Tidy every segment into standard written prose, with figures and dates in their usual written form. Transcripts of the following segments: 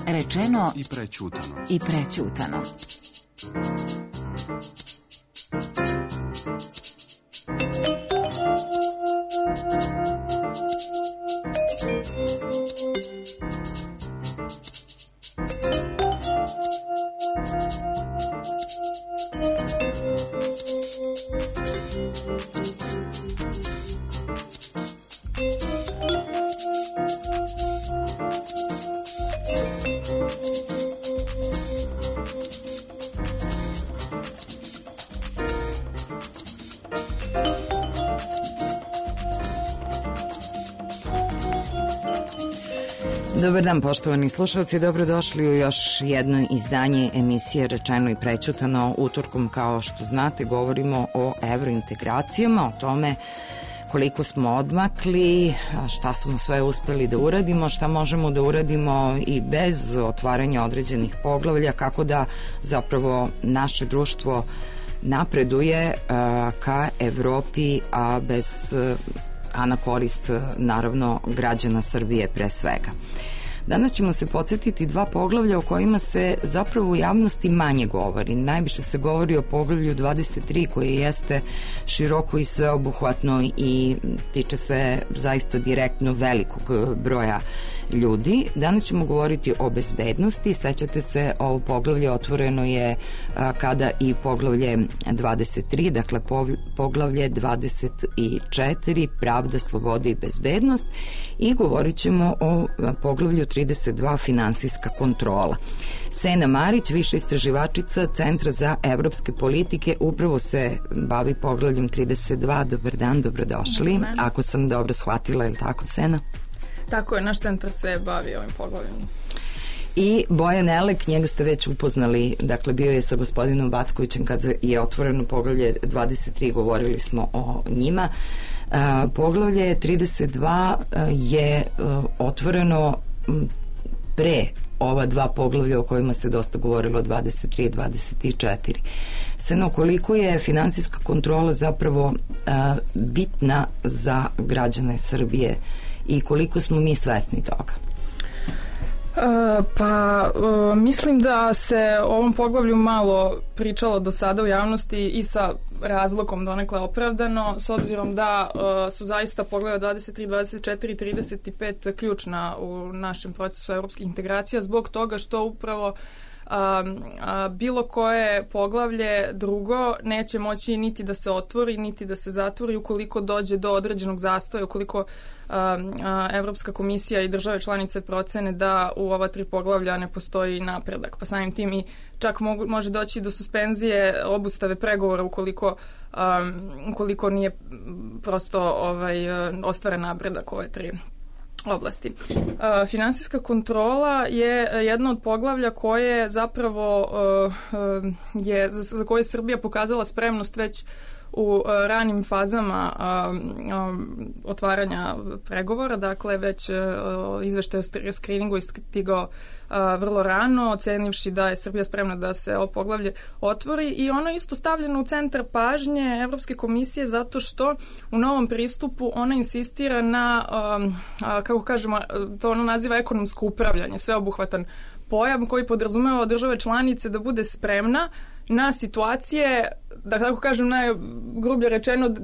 Rečeno i prećutano. Dobar dan, poštovani slušalci, dobrodošli u još jedno izdanje emisije Rečeno i prećutano. Utorkom, kao što znate, govorimo o evrointegracijama, o tome koliko smo odmakli, šta smo sve uspeli da uradimo, šta možemo da uradimo i bez otvaranja određenih poglavlja, kako da zapravo naše društvo napreduje ka Evropi, a na korist naravno građana Srbije pre svega. Danas ćemo se podsjetiti dva poglavlja o kojima se zapravo u javnosti manje govori. Najviše se govori o poglavlju 23 koje jeste široko i sveobuhvatno i tiče se zaista direktno velikog broja ljudi. Danas ćemo govoriti o bezbednosti. Sećate se, ovo poglavlje otvoreno je kada i poglavlje 23, dakle poglavlje 24, pravda, sloboda i bezbednost, i govorit ćemo o poglavlju 32, finansijska kontrola. Sena Marić, viša istraživačica Centra za evropske politike, upravo se bavi poglavljem 32. Dobar dan, dobrodošli. Ako sam dobro shvatila, je li tako, Sena? Tako je, naš centar se bavi ovim poglavljem. I Bojan Elek, njega ste već upoznali, dakle bio je sa gospodinom Backovićem kada je otvoreno poglavlje 23, govorili smo o njima. Poglavlje 32 je otvoreno pre ova dva poglavlja o kojima se dosta govorilo, 23 i 24. Seno, koliko je finansijska kontrola zapravo bitna za građane Srbije i koliko smo mi svesni toga? Mislim da se o ovom poglavlju malo pričalo do sada u javnosti i sa razlogom donekle opravdano, s obzirom da su zaista poglavlja 23, 24 i 35 ključna u našem procesu evropskih integracija, zbog toga što upravo bilo koje poglavlje drugo neće moći niti da se otvori, niti da se zatvori ukoliko dođe do određenog zastoja, ukoliko Evropska komisija i države članice procene da u ova tri poglavlja ne postoji napredak. Pa samim tim i čak može doći do suspenzije, obustave pregovora ukoliko nije prosto ostvaren napredak ove tri oblasti. Finansijska kontrola je jedno od poglavlja koje zapravo za koje je Srbija pokazala spremnost već u ranim fazama otvaranja pregovora, dakle već izveštaj o skriningu je stigao vrlo rano, ocenivši da je Srbija spremna da se ovo poglavlje otvori, i ono je isto stavljeno u centar pažnje Evropske komisije zato što u novom pristupu ona insistira na, kako kažemo, to ono naziva ekonomsko upravljanje, sveobuhvatan pojam koji podrazumeva od države članice da bude spremna na situacije, da tako kažem najgrublje rečeno,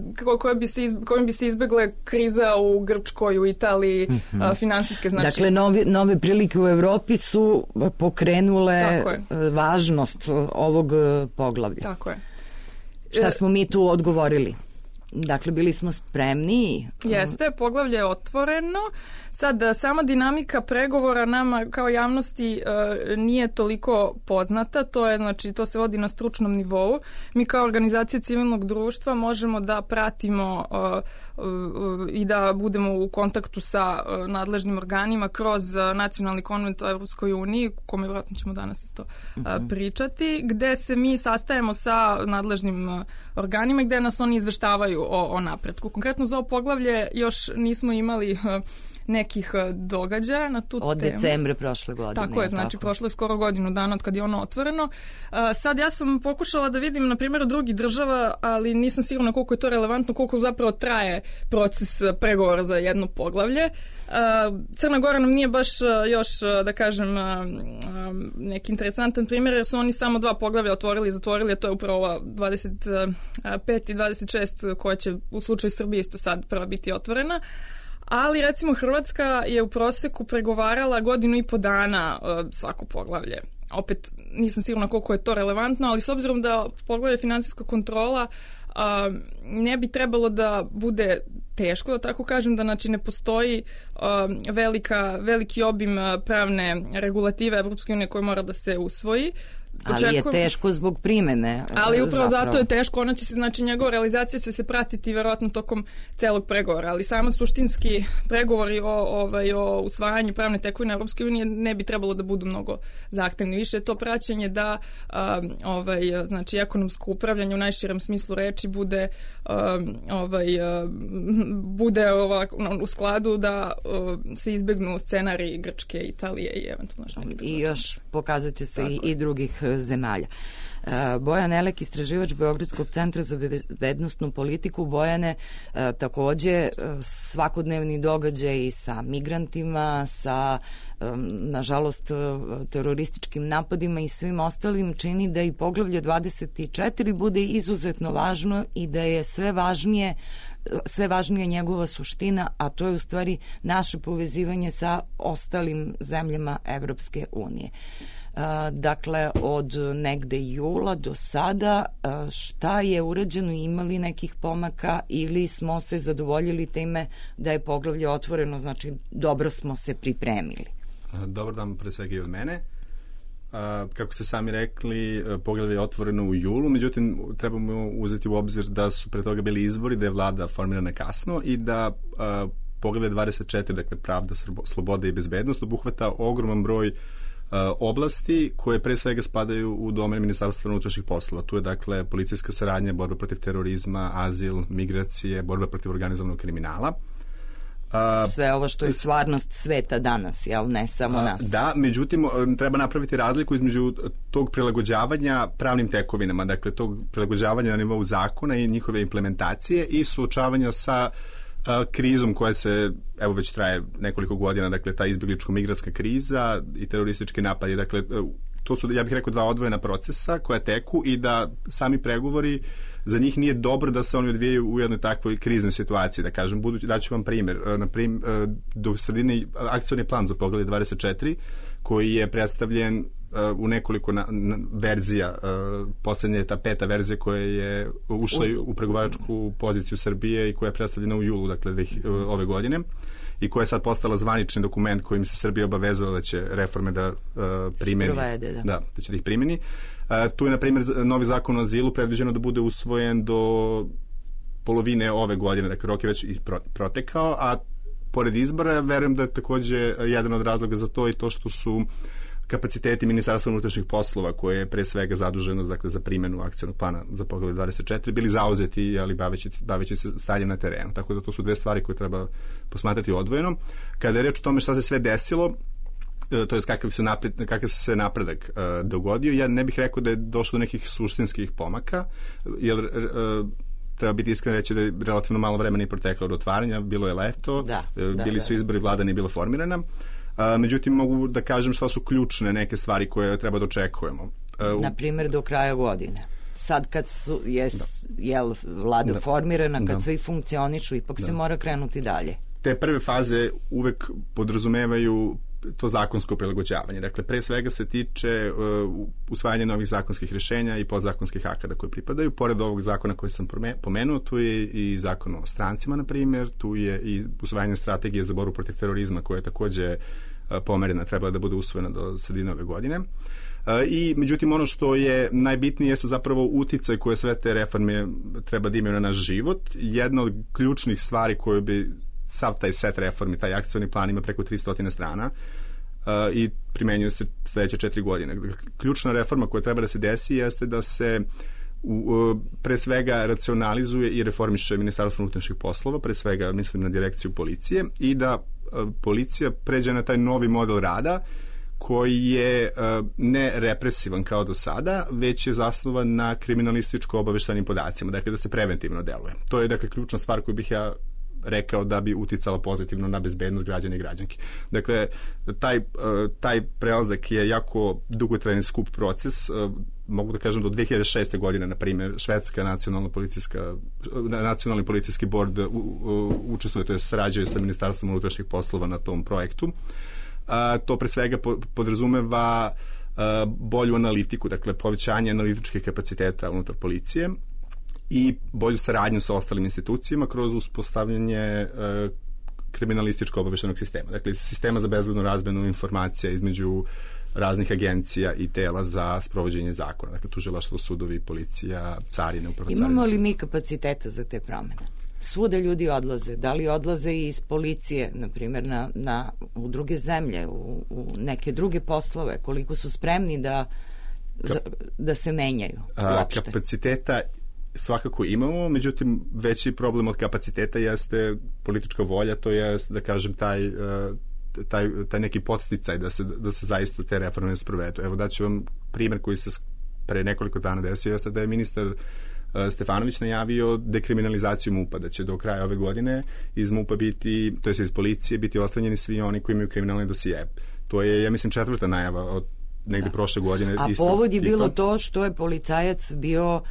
kojim bi se izbegle kriza u Grčkoj, u Italiji, finansijske, znači. Dakle, nove prilike u Evropi su pokrenule važnost ovog poglavlja. Tako je. Šta smo mi tu odgovorili? Dakle, bili smo spremni. Jeste, poglavlje je otvoreno. Sad, sama dinamika pregovora nama kao javnosti nije toliko poznata. To se vodi na stručnom nivou. Mi kao organizacija civilnog društva možemo da pratimo i da budemo u kontaktu sa nadležnim organima kroz nacionalni konvent o Evropskoj uniji, u kome vjerojatno ćemo danas isto pričati, gde se mi sastajemo sa nadležnim organima gde nas oni izveštavaju o napretku. Konkretno za ovo poglavlje još nismo imali nekih događaja na tu temu. Od decembra prošle godine. Tako je, znači prošlo je skoro godinu dana od kad je ono otvoreno. Sad ja sam pokušala da vidim na primjer drugih država, ali nisam sigurna koliko je to relevantno, koliko zapravo traje proces pregovora za jedno poglavlje. Crna Gora nam nije baš još, da kažem, neki interesantan primjer, jer su oni samo 2 poglavlja otvorili i zatvorili, a to je upravo ova 25 i 26 koja će u slučaju Srbije isto sad prva biti otvorena. Ali recimo Hrvatska je u proseku pregovarala 1.5 dana svako poglavlje. Opet nisam sigurna koliko je to relevantno, ali s obzirom da poglavlje finansijska kontrola ne bi trebalo da bude teško, da tako kažem, da znači ne postoji veliki obim pravne regulative Evropske unije koje mora da se usvoji. Ali je teško zbog primene. Ali upravo zato je teško, ona će se, znači njegova realizacija će se pratiti verovatno tokom celog pregovora, ali samo suštinski pregovori o usvajanju pravne tekovine Evropske unije ne bi trebalo da budu mnogo zahtevni. Više je to praćenje da znači ekonomsko upravljanje u najširem smislu reči bude u skladu da se izbegnu scenariji Grčke, Italije i eventualno neke i još pokazat će se i drugih zemalja. Bojan Elek, istraživač Beogradskog centra za bezbednosnu politiku. Bojane, takođe svakodnevni događaj sa migrantima, sa nažalost terorističkim napadima i svim ostalim čini da i poglavlje 24 bude izuzetno važno i da je sve važnija njegova suština, a to je u stvari naše povezivanje sa ostalim zemljama Evropske unije. Dakle, od negde jula do sada, šta je urađeno, imali nekih pomaka ili smo se zadovoljili time da je poglavlje otvoreno, znači dobro smo se pripremili? Dobar dan pre svega i od mene. Kako ste sami rekli, poglavlje je otvoreno u julu, međutim trebamo uzeti u obzir da su pre toga bili izbori, da je vlada formirana kasno i da poglavlje 24, dakle pravda, sloboda i bezbednost, obuhvata ogroman broj oblasti koje pre svega spadaju u domen Ministarstva unutrašnjih poslova. Tu je dakle policijska saradnja, borba protiv terorizma, azil, migracije, borba protiv organizovanog kriminala. Sve ovo što je stvarnost sveta danas, jel, ne samo nas. Da, međutim, treba napraviti razliku između tog prilagođavanja pravnim tekovinama, dakle tog prilagođavanja na nivou zakona i njihove implementacije i suočavanja sa krizom koja se, evo već traje nekoliko godina, dakle ta izbjegličko-migratska kriza i teroristički napadi, dakle to su, ja bih rekao, 2 odvojena procesa koja teku i da sami pregovori, za njih nije dobro da se oni odvijaju u jednoj takvoj kriznoj situaciji, da kažem. Daću vam primjer. Do sredine akcioni plan za poglavlje 24 koji je predstavljen u nekoliko verzija. Poslednja je ta 5. verzija koja je ušla u pregovaračku poziciju Srbije i koja je predstavljena u julu, dakle ove godine, i koja je sad postala zvanični dokument kojim se Srbija obavezala da će reforme da primeni. Da će da ih primeni. Tu je, na primjer, novi zakon o azilu predviđeno da bude usvojen do polovine ove godine, dakle rok je već protekao, a pored izbora verujem da je takođe jedan od razloga za to i to što su kapaciteti Ministarstva unutrašnjih poslova, koje je pre svega zaduženo, dakle, za primjenu akcionog plana za poglavlje 24, bili zauzeti, ali baveći se stanjem na terenu. Tako da to su 2 stvari koje treba posmatrati odvojeno. Kada je reč o tome šta se sve desilo, to je kakav se napredak dogodio, ja ne bih rekao da je došlo do nekih suštinskih pomaka, jer treba biti iskren reći da je relativno malo vremena i proteklo od otvaranja, bilo je leto, bili su izbori, vlada nije bila formirana. Međutim, mogu da kažem šta su ključne neke stvari koje treba da očekujemo. Na primjer, do kraja godine. Sad kad je vlada formirana, kad svi funkcionišu, ipak se mora krenuti dalje. Te prve faze uvek podrazumevaju to zakonsko prilagođavanje. Dakle, pre svega se tiče usvajanja novih zakonskih rješenja i podzakonskih akata koje pripadaju. Pored ovog zakona koji sam pomenuo, tu je i zakon o strancima, na primjer, tu je i usvajanje strategije za borbu protiv terorizma koja je takođe pomerena, trebala da bude usvojena do sredine ove godine. I, međutim, ono što je najbitnije je zapravo uticaj koje sve te reforme treba da imaju na naš život. Jedna od ključnih stvari koje bi sav taj set reformi, taj akcioni plan ima preko 300 strana i primenjuje se sledeće 4 godine. Ključna reforma koja treba da se desi jeste da se pre svega racionalizuje i reformiše Ministarstvo unutrašnjih poslova, pre svega mislim na direkciju policije, i da policija pređe na taj novi model rada koji je ne represivan kao do sada, već je zasnovan na kriminalističko-obaveštajnim podacima, dakle da se preventivno deluje. To je dakle ključna stvar koju bih ja rekao da bi uticala pozitivno na bezbednost građana i građanki. Dakle, taj prelazak je jako dugotrajan skup proces. Mogu da kažem do 2006. godine, na primjer, švedska nacionalni policijski bord učestvuje, to je sarađuje sa Ministarstvom unutrašnjih poslova na tom projektu. To pre svega podrazumeva bolju analitiku, dakle povećanje analitičkih kapaciteta unutar policije i bolju saradnju sa ostalim institucijama kroz uspostavljanje kriminalističko-obaveštajnog sistema. Dakle, sistema za bezbednu razmenu informacija između raznih agencija i tela za sprovođenje zakona. Dakle, tužilaštvo, sudovi, policija, carine, uprava carine. Imamo li mi kapaciteta za te promene? Svuda ljudi odlaze. Da li odlaze i iz policije, na primjer, u druge zemlje, u neke druge poslove? Koliko su spremni da se menjaju uopšte? Kapaciteta svakako imamo, međutim veći problem od kapaciteta jeste politička volja, to je, da kažem, taj neki podsticaj da se zaista te reforme sprovedu. Evo daću vam primjer koji se pre nekoliko dana desio, jeste da je ministar Stefanović najavio dekriminalizaciju MUP-a, da će do kraja ove godine iz MUP-a biti, to je iz policije, biti ostranjeni svi oni koji imaju kriminalne dosije. To je, ja mislim, 4. najava od negde prošle godine. A povod je bilo to što je policajac bio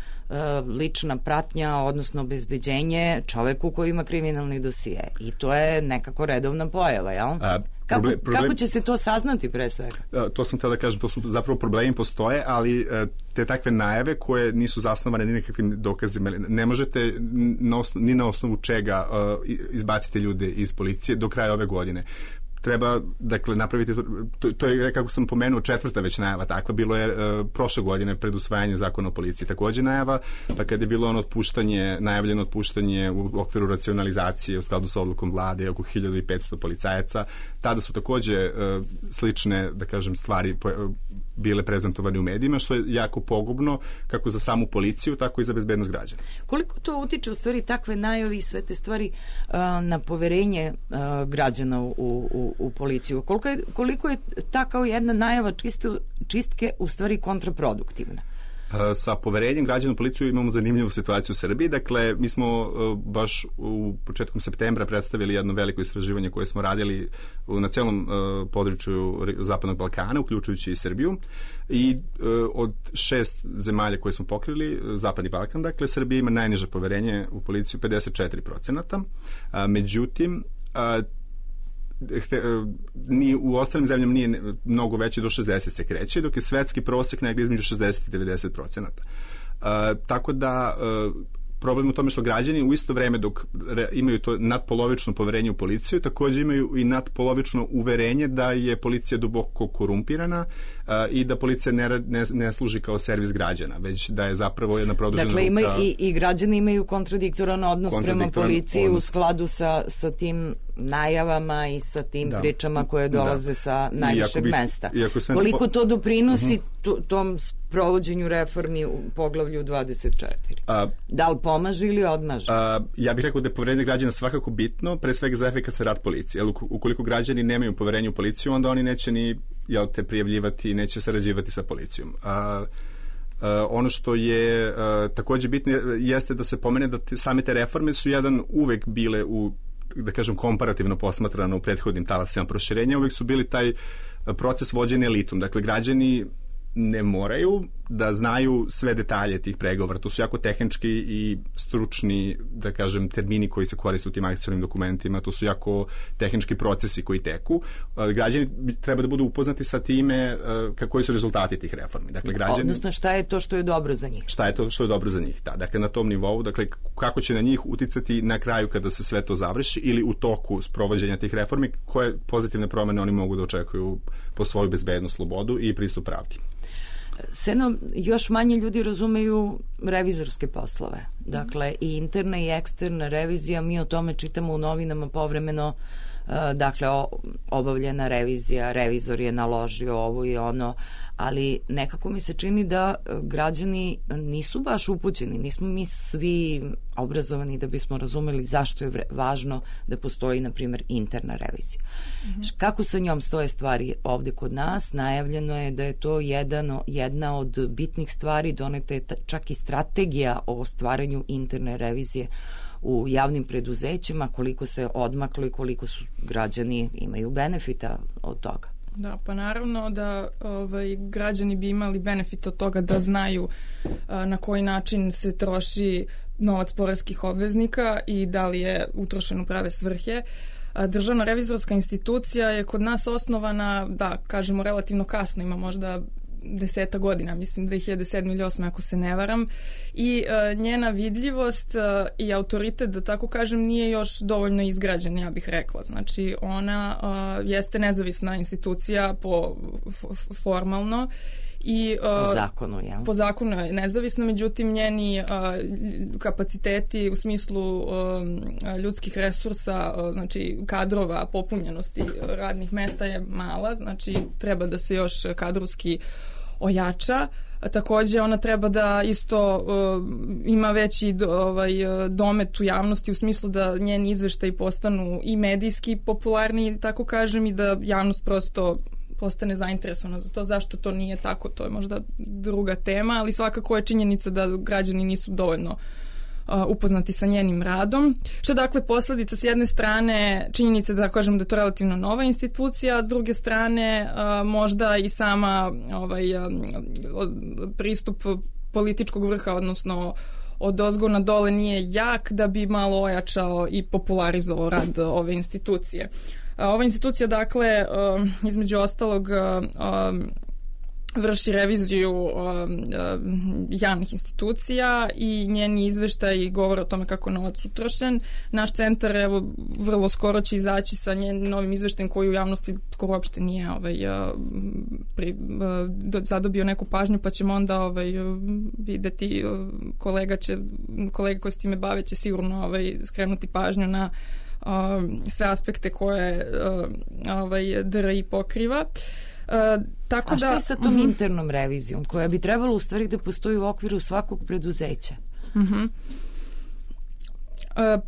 lična pratnja, odnosno obezbeđenje čoveku koji ima kriminalni dosije. I to je nekako redovna pojava, jel? Kako će se to saznati pre svega? To sam htio da kažem, to su zapravo problemi postoje, ali te takve najave koje nisu zasnovane ni nekakvim dokazima, ne možete ni na osnovu čega izbaciti ljude iz policije do kraja ove godine. Treba, dakle, napraviti, to je, kako sam pomenuo, 4. već najava takva, bilo je prošle godine pred usvajanje zakona o policiji takođe najava, pa kada je bilo najavljeno otpuštanje u okviru racionalizacije u skladu sa odlukom vlade oko 1500 policajaca, tada su takođe slične, da kažem, stvari bile prezentovane u medijima, što je jako pogubno kako za samu policiju, tako i za bezbednost građana. Koliko to utiče u stvari takve najave i sve te stvari na poverenje građana u policiju? Koliko je ta kao jedna najava čistke u stvari kontraproduktivna? Sa poverenjem građana u policiju imamo zanimljivu situaciju u Srbiji. Dakle, mi smo baš u početkom septembra predstavili jedno veliko istraživanje koje smo radili na celom području Zapadnog Balkana, uključujući i Srbiju. I od 6 zemalja koje smo pokrili, Zapadni Balkan, dakle, Srbija ima najniže poverenje u policiju, 54%. Međutim, ni u ostalim zemljama nije mnogo veće, do 60 se kreće, dok je svetski prosek negdje između 60 i 90%. Tako da problem u tome što građani u isto vreme dok imaju to nadpolovično poverenje u policiju, također imaju i nadpolovično uverenje da je policija duboko korumpirana i da policija ne služi kao servis građana, već da je zapravo jedna produžena ruka. Dakle, i građani imaju kontradiktoran odnos prema policiji u skladu sa tim najavama i sa tim pričama koje dolaze sa najvišeg mesta. Koliko to doprinosi tom sprovođenju reformi u poglavlju 24? Da li pomaže ili odmaže? Ja bih rekao da je poverenje građana svakako bitno, pre svega za efikasan rad policije. Ukoliko građani nemaju poverenje u policiju, onda oni neće ni prijavljivati i neće sarađivati sa policijom. Ono što je također bitno jeste da se pomene da same te reforme su uvek bile da kažem, komparativno posmatrano u prethodnim talasima proširenja, uvek su bili taj proces vođenja elitom. Dakle, građani ne moraju da znaju sve detalje tih pregovora. To su jako tehnički i stručni, da kažem, termini koji se koriste u tim akcionim dokumentima. To su jako tehnički procesi koji teku. Građani treba da budu upoznati sa time koji su rezultati tih reformi. Dakle, odnosno, šta je to što je dobro za njih? Šta je to što je dobro za njih, da. Dakle, na tom nivou, dakle, kako će na njih uticati na kraju kada se sve to završi ili u toku sprovođenja tih reformi, koje pozitivne promene oni mogu da očekuju po svoju bezbednost, slobodu i pristup pravdi. Seno, još manje ljudi razumeju revizorske poslove. Dakle, i interna i eksterna revizija, mi o tome čitamo u novinama povremeno, dakle obavljena revizija, revizor je naložio ovo i ono, ali nekako mi se čini da građani nisu baš upućeni, nismo mi svi obrazovani da bismo razumeli zašto je važno da postoji, na primjer, interna revizija. Kako sa njom stoje stvari ovde kod nas? Najavljeno je da je to jedna od bitnih stvari, doneta je čak i strategija o stvaranju interne revizije u javnim preduzećima, koliko se odmaklo i koliko su građani imaju benefita od toga. Da, pa naravno da građani bi imali benefit od toga da znaju na koji način se troši novac poreskih obveznika i da li je utrošen u prave svrhe. Državna revizorska institucija je kod nas osnovana, da, kažemo relativno kasno, ima možda 10 godina, mislim 2007 ili 2008 ako se ne varam, i njena vidljivost i autoritet, da tako kažem, nije još dovoljno izgrađen, ja bih rekla. Znači ona jeste nezavisna institucija formalno i po zakonu je nezavisno, međutim njeni kapaciteti u smislu ljudskih resursa, znači kadrova, popunjenosti radnih mesta je mala, znači treba da se još kadrovski ojača. Takođe ona treba da isto ima veći domet u javnosti u smislu da njeni izveštaji postanu i medijski popularni, tako kažem, i da javnost prosto postane zainteresovana za to. Zašto to nije tako, to je možda druga tema, ali svakako je činjenica da građani nisu dovoljno upoznati sa njenim radom. Što dakle posledica s jedne strane činjenica da kažem da je to relativno nova institucija, a s druge strane možda i sama pristup političkog vrha, odnosno od ozgo na dole nije jak da bi malo ojačao i popularizovao rad ove institucije. Ova institucija, dakle, između ostalog vrši reviziju javnih institucija i njeni izveštaji govore o tome kako je novac utrošen. Naš centar, evo, vrlo skoro će izaći sa njenim novim izveštajem koji u javnosti skoro uopšte nije zadobio neku pažnju, pa ćemo onda videti, kolega koji se time bave će sigurno skrenuti pažnju na sve aspekte koje DRI pokriva. A šta je sa tom internom revizijom koja bi trebalo u stvari da postoji u okviru svakog preduzeća?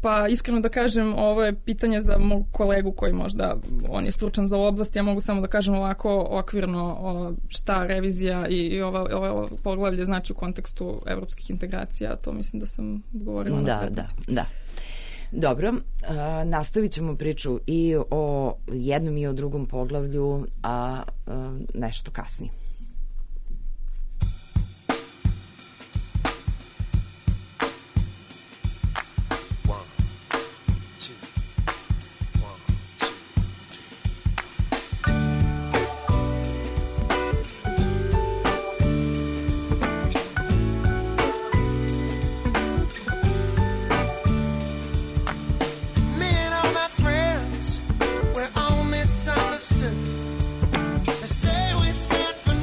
Pa iskreno da kažem, ovo je pitanje za mog kolegu koji možda on je stručan za ovu oblast, ja mogu samo da kažem ovako okvirno šta revizija i ovo poglavlje znači u kontekstu evropskih integracija, to mislim da sam govorila. Da. Dobro, nastavit ćemo priču i o jednom i o drugom poglavlju, a nešto kasnije. Say we stand for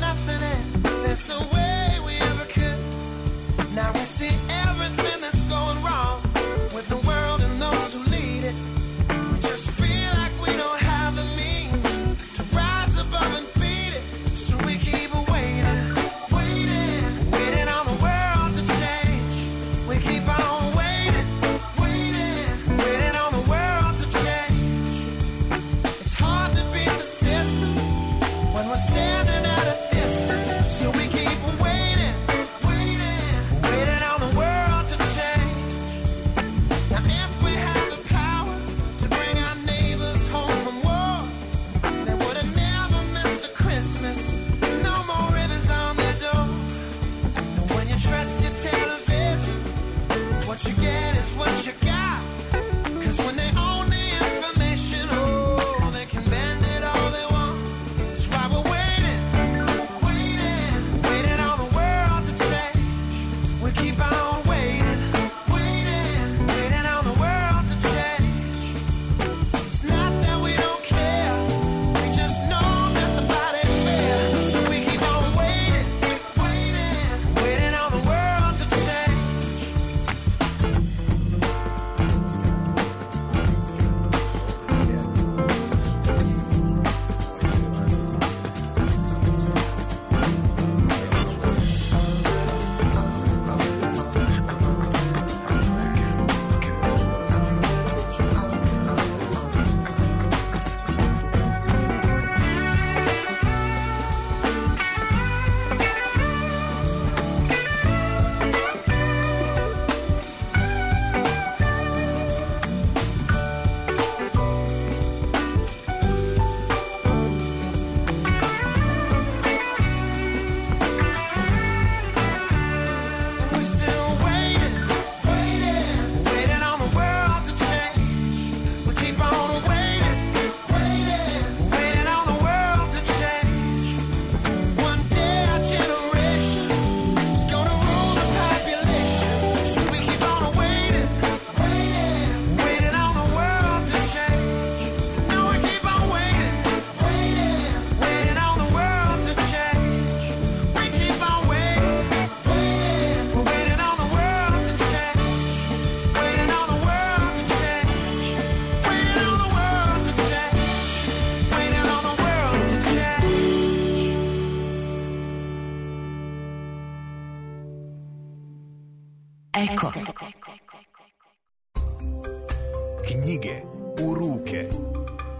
Knjige u ruke.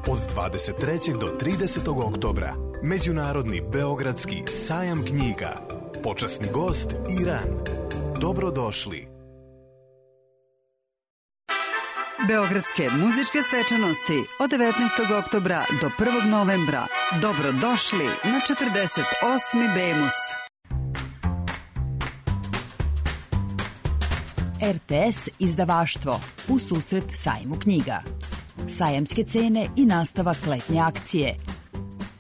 Od 23. do 30. oktobra Međunarodni beogradski sajam knjiga. Počasni gost Iran. Dobrodošli. Beogradske muzičke svečanosti od 19. oktobra do 1. novembra. Dobrodošli na 48. Bemus. RTS izdavaštvo u susret sajmu knjiga. Sajamske cene i nastavak letnje akcije.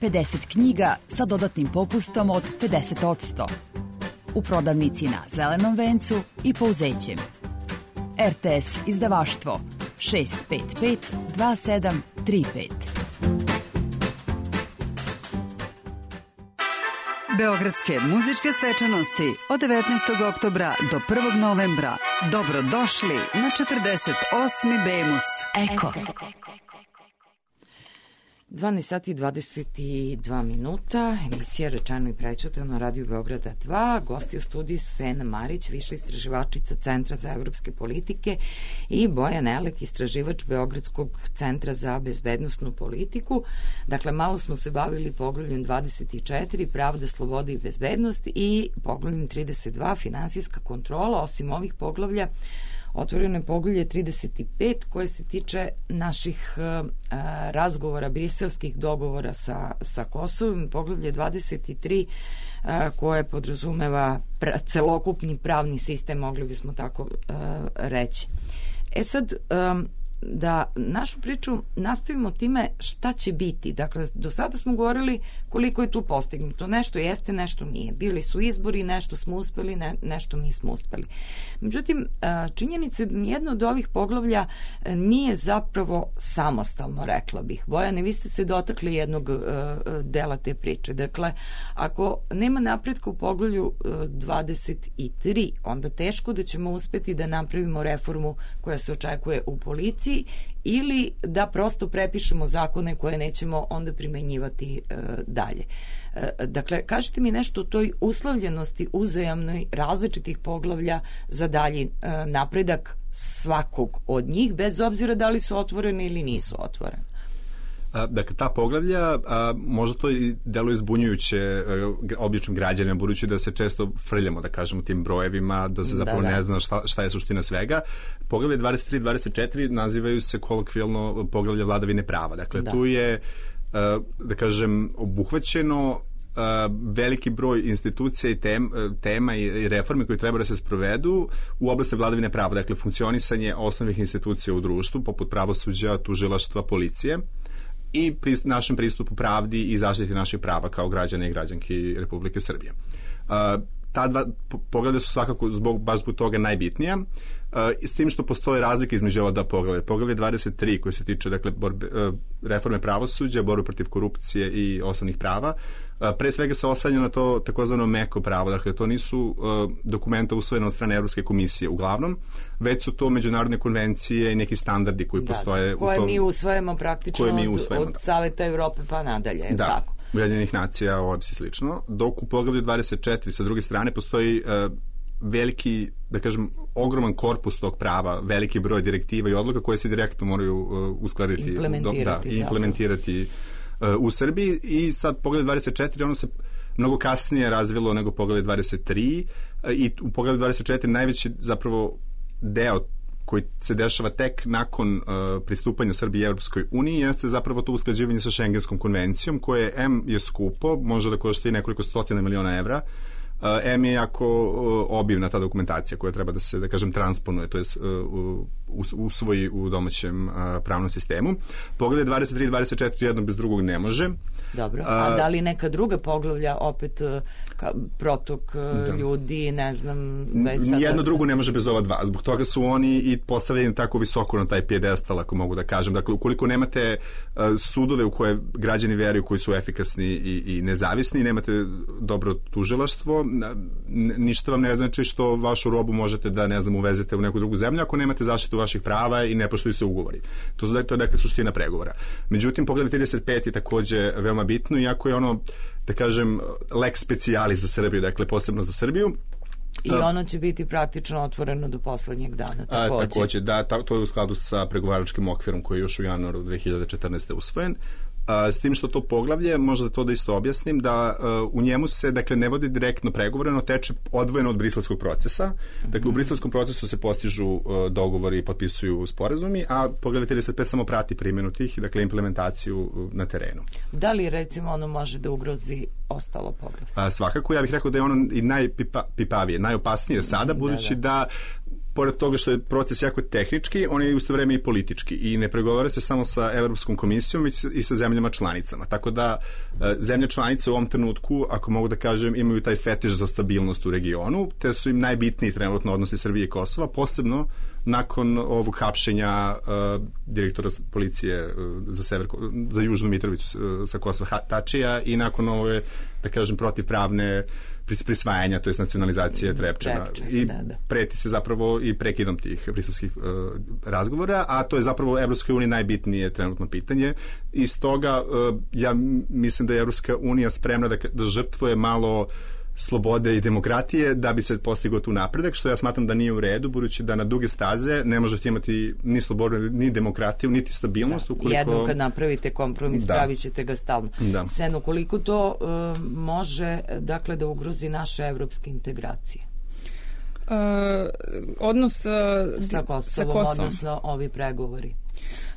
50 knjiga sa dodatnim popustom od 50%. U prodavnici na Zelenom vencu i Pouzećem. RTS izdavaštvo 655 2735. Beogradske muzičke svečanosti od 19. oktobra do 1. novembra. Dobrodošli na 48. Bemus. Eko. 12 sati i 22 minuta, emisija Rečeno i prećutano, Radio Beograda 2, gosti u studiju Sena Marić, viša istraživačica Centra za evropske politike, i Bojan Elek, istraživač Beogradskog centra za bezbednosnu politiku. Dakle, malo smo se bavili poglavljem 24, pravda, sloboda i bezbednost, i poglavljem 32, finansijska kontrola. Osim ovih poglavlja, otvoreno je poglavlje 35 koje se tiče naših razgovora, briselskih dogovora sa Kosovom, poglavlje 23 koje podrazumeva celokupni pravni sistem, mogli bismo tako reći. Sad, da našu priču nastavimo time šta će biti. Dakle, do sada smo govorili koliko je tu postignuto. Nešto jeste, nešto nije. Bili su izbori, nešto smo uspeli, nešto nismo uspeli. Međutim, činjenica je da nijedno od ovih poglavlja nije zapravo samostalno, rekla bih. Bojane, vi ste se dotakli jednog dela te priče. Dakle, ako nema napretka u poglavlju 23, onda teško da ćemo uspeti da napravimo reformu koja se očekuje u policiji, ili da prosto prepišemo zakone koje nećemo onda primenjivati dalje. Dakle, kažite mi nešto o toj uslovljenosti uzajamnoj različitih poglavlja za dalji napredak svakog od njih, bez obzira da li su otvorene ili nisu otvorene. Dakle, ta poglavlja, možda to i deluje zbunjujuće običnim građanima, budući da se često frljamo, da kažemo, tim brojevima, da se zapravo ne zna šta je suština svega. Poglavlje 23 i 24 nazivaju se kolokvijalno poglavlje vladavine prava. Dakle, tu je, da kažem, obuhvaćeno veliki broj institucija i tema i reforme koje treba da se sprovedu u oblasti vladavine prava. Dakle, funkcionisanje osnovnih institucija u društvu, poput pravosuđa, tužilaštva, policije, i našem pristupu pravdi i zaštiti naših prava kao građana i građanki Republike Srbije. Ta dva poglavlja su svakako baš zbog toga najbitnija, s tim što postoje razlike između ova dva poglavlja. Poglavlje 23 koje se tiče, dakle, reforme pravosuđa, borbe protiv korupcije i osnovnih prava, pre svega se oslanja na to takozvano meko pravo. Dakle, to nisu dokumenta usvojene od strane Evropske komisije uglavnom, već su to međunarodne konvencije i neki standardi koji postoje koje mi usvajamo praktično od Saveta Evrope pa nadalje. Tako. Ujedinjenih nacija, OEBS i slično, dok u poglavlju 24 sa druge strane postoji veliki, da kažem, ogroman korpus tog prava, veliki broj direktiva i odluka koje se direktno moraju uskladiti i implementirati u Srbiji. I sad poglavlje 24, ono se mnogo kasnije razvilo nego poglavlje 23, i u poglavlju 24 najveći zapravo deo koji se dešava tek nakon pristupanja Srbije Evropskoj uniji jeste zapravo to usklađivanje sa Šengenskom konvencijom, koje je skupo, može da košta i nekoliko stotina miliona evra. Je jako obimna ta dokumentacija koja treba da se, da kažem, transponuje, to je usvoji u domaćem pravnom sistemu. Poglavlje 23 i 24 jedno bez drugog ne može. Dobro, a da li neka druga poglavlja opet protok ljudi, ne znam, već sad... Jedno drugo ne može bez ova dva. Zbog toga su oni i postavljeni tako visoko na taj pijedestal, ako mogu da kažem. Dakle, ukoliko nemate sudove u koje građani veruju, koji su efikasni i nezavisni, nemate dobro tužilaštvo, ništa vam ne znači što vašu robu možete da, ne znam, uvezete u neku drugu zemlju ako nemate zaštitu vaših prava i ne poštuju se ugovori. To je dakle suština pregovora. Međutim, poglavlje 35 je takođe veoma bitno, iako je ono, da kažem, lex specialis za Srbiju, dakle posebno za Srbiju. I ono će biti praktično otvoreno do poslednjeg dana. Takođe, da, to je u skladu sa pregovaračkim okvirom koji je još u januaru 2014. usvojen. S tim što to poglavlje, možda to da isto objasnim, da u njemu se, dakle, ne vodi direktno pregovore, no teče odvojeno od briselskog procesa. Dakle, u briselskom procesu se postižu dogovori i potpisuju sporazumi, a poglavlje 35 samo prati primjenu tih, dakle, implementaciju na terenu. Da li, recimo, ono može da ugrozi ostalo poglavlje? Svakako, ja bih rekao da je ono i najpipavije, najopasnije sada, budući da pored toga što je proces jako tehnički, on je isto vreme i politički i ne pregovara se samo sa Evropskom komisijom, već i sa zemljama članicama. Tako da zemlje članice u ovom trenutku, ako mogu da kažem, imaju taj fetiš za stabilnost u regionu, te su im najbitniji trenutno odnosi Srbije i Kosova, posebno nakon ovog hapšenja direktora policije za Južnu Mitrovicu sa Kosova Tačija i nakon ove, da kažem, protivpravne prisvajanja, to je nacionalizacije Trepčana. I preti se zapravo i prekidom tih briselskih razgovora, a to je zapravo Evropskoj uniji najbitnije trenutno pitanje. I stoga ja mislim da je Evropska unija spremna da žrtvuje malo slobode i demokratije da bi se postigao tu napredak, što ja smatram da nije u redu, budući da na duge staze ne možete imati ni slobodu, ni demokratiju, niti stabilnost. Ukoliko... Jednom kad napravite kompromis, pravit ćete ga stalno. Seno, koliko to može, dakle, da ugrozi naše evropske integracije? Odnos sa Kosovom, odnosno ovi pregovori.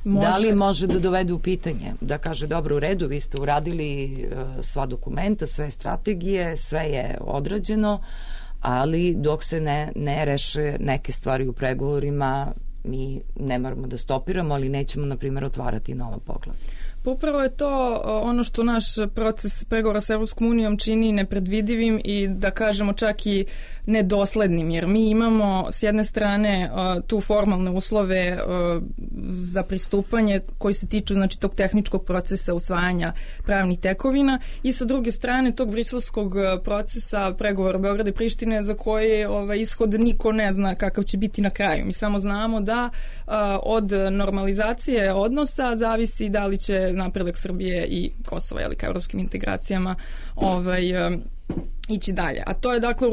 Da li može da dovede u pitanje, da kaže, dobro, u redu, vi ste uradili sva dokumenta, sve strategije, sve je odrađeno, ali dok se ne reše neke stvari u pregovorima, mi ne moramo da stopiramo, ali nećemo, na primjer, otvarati nova poglavlja. Upravo je to ono što naš proces pregovora sa Evropskom unijom čini nepredvidivim i, da kažemo, čak i nedoslednim, jer mi imamo s jedne strane tu formalne uslove za pristupanje koji se tiču, znači, tog tehničkog procesa usvajanja pravnih tekovina i sa druge strane tog briselskog procesa pregovora Beograda i Prištine za koje ishod niko ne zna kakav će biti na kraju. Mi samo znamo da od normalizacije odnosa zavisi da li će napredak Srbije i Kosova, ka evropskim integracijama ići dalje. A to je, dakle,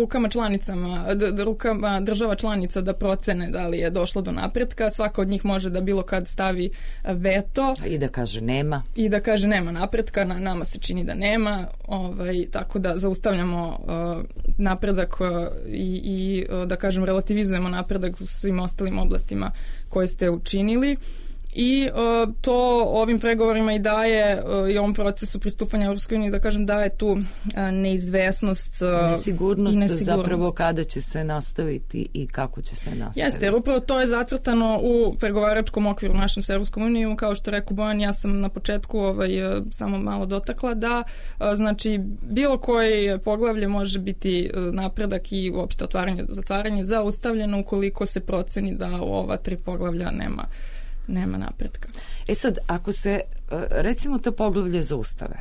rukama država članica da procene da li je došlo do napretka. Svaka od njih može da bilo kad stavi veto. I da kaže nema. I da kaže nema napretka, nama se čini da nema, tako da zaustavljamo napredak i da kažem relativizujemo napredak u svim ostalim oblastima koje ste učinili. I to ovim pregovorima i daje i ovom procesu pristupanja Evropskoj uniji, da kažem, daje tu neizvesnost i nesigurnost zapravo kada će se nastaviti i kako će se nastaviti. Jeste, jer upravo to je zacrtano u pregovaračkom okviru našem sa Evropskom unijom, kao što rekao Bojan, ja sam na početku samo malo dotakla da znači bilo koje poglavlje može biti napredak i uopšte zatvaranje zaustavljeno ukoliko se proceni da u ova 3 poglavlja nema napretka. Sad, ako se, recimo, to poglavlje zaustave,